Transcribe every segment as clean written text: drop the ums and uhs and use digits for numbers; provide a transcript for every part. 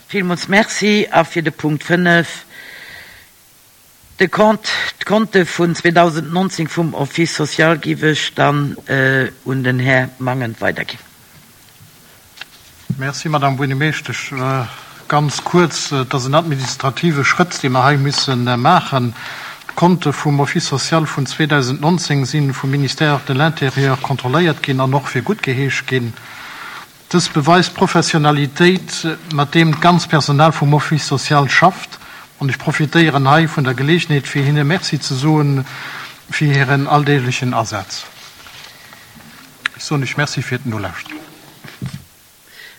Villmools Merci. A fir de Punkt 5, de Compte, d'Konte vun 2019 vum Office social giff ech dann un den Här Mangen weiderginn. Merci, Madame Buergermeeschtesch. Ganz kuerz, Et ass en administrative Schrëtt, dee mer hei musse maachen. D'Konte vum Office social vun 2019 si vum Ministère de l'Intérieur kontrolléiert ginn an och fir guttgeheescht ginn. Dës beweist d'Professionalitéit, mat deem d'ganz Personal vum Office social schafft, an ech profitéieren hei vun der Geleegenheet, fir hinne Merci ze soen fir hiren alldeeglechen Asaz. Ech soen lech Merci fir d'Nolauschteren.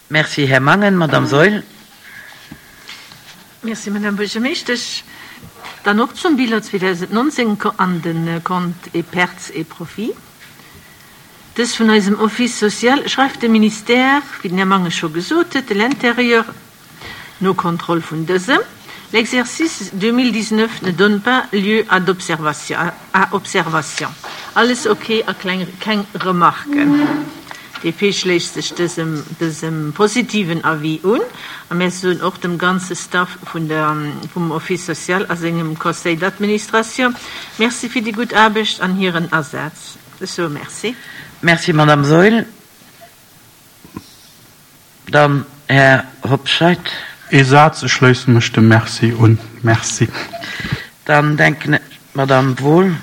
Merci, Här Mangen. Madame Saeul. Merci, Madame Buergermeeschtesch. Dann och zum Bilan 2019 an de Comptes et pertes et profits. Dës vun eisem Office social schreift de Ministère, wéi den Här Mangen scho gesot huet, de l'Intérieur, no Kontroll vun dësem, L'exercice 2019 ne donne pas lieu à d'observation, à observation. Alles ok a kleng, keng Remarken. DP schléisst sech dësem, dësem positiven Avis un a mär soen och dem ganze Staff vun der, vum Office social a sengem Conseil d'administration Merci fir déi gutt Aarbecht an hiren Asaz. Ech soe Merci. Merci, Madame Saeul. Dann Här Hobscheit. Ee Saz, Ech schléisse mech dem Merci un. Merci. Dann denken ech, d'Madame Wohl.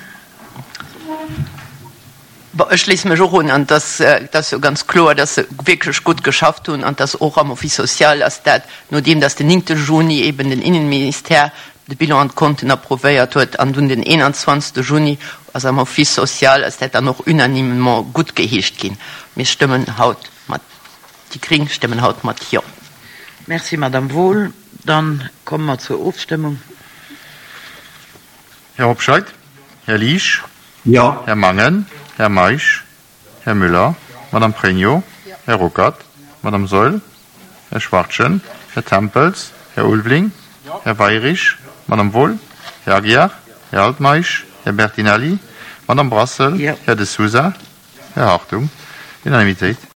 Bon, ech schléisse mech och un. An et ass, et ass jo ganz kloer, dass se wierklech gutt geschafft hunn an dass och am Office social ass dat, nodeem dass den 9 Juni eben den Innenministère de Bilan an d'Konten approuvéiert huet an dunn den 21. Juni ass am Office social ass dat dann och unanimement guttgeheescht ginn. Mir stëmmen haut mat, déi Gring stëmmen haut mat Jo. Merci, Madame Wohl. Dann komme mer zur Ofstëmmung. Här Hobscheit? Här Liesch? Jo. Här Mangen? Här Meisch? Här Müller? Madame Pregno? Här Ruckert? Madame Saeul? Här Schwachtgen? Här Tempels? Här Ulveling? Här Weirich? Madame Wohl? Här Aguiar? Här Altmeisch? Här Bertinelli? Madame Brassel? Här De Sousa? Här Hartung? Unanimitéit.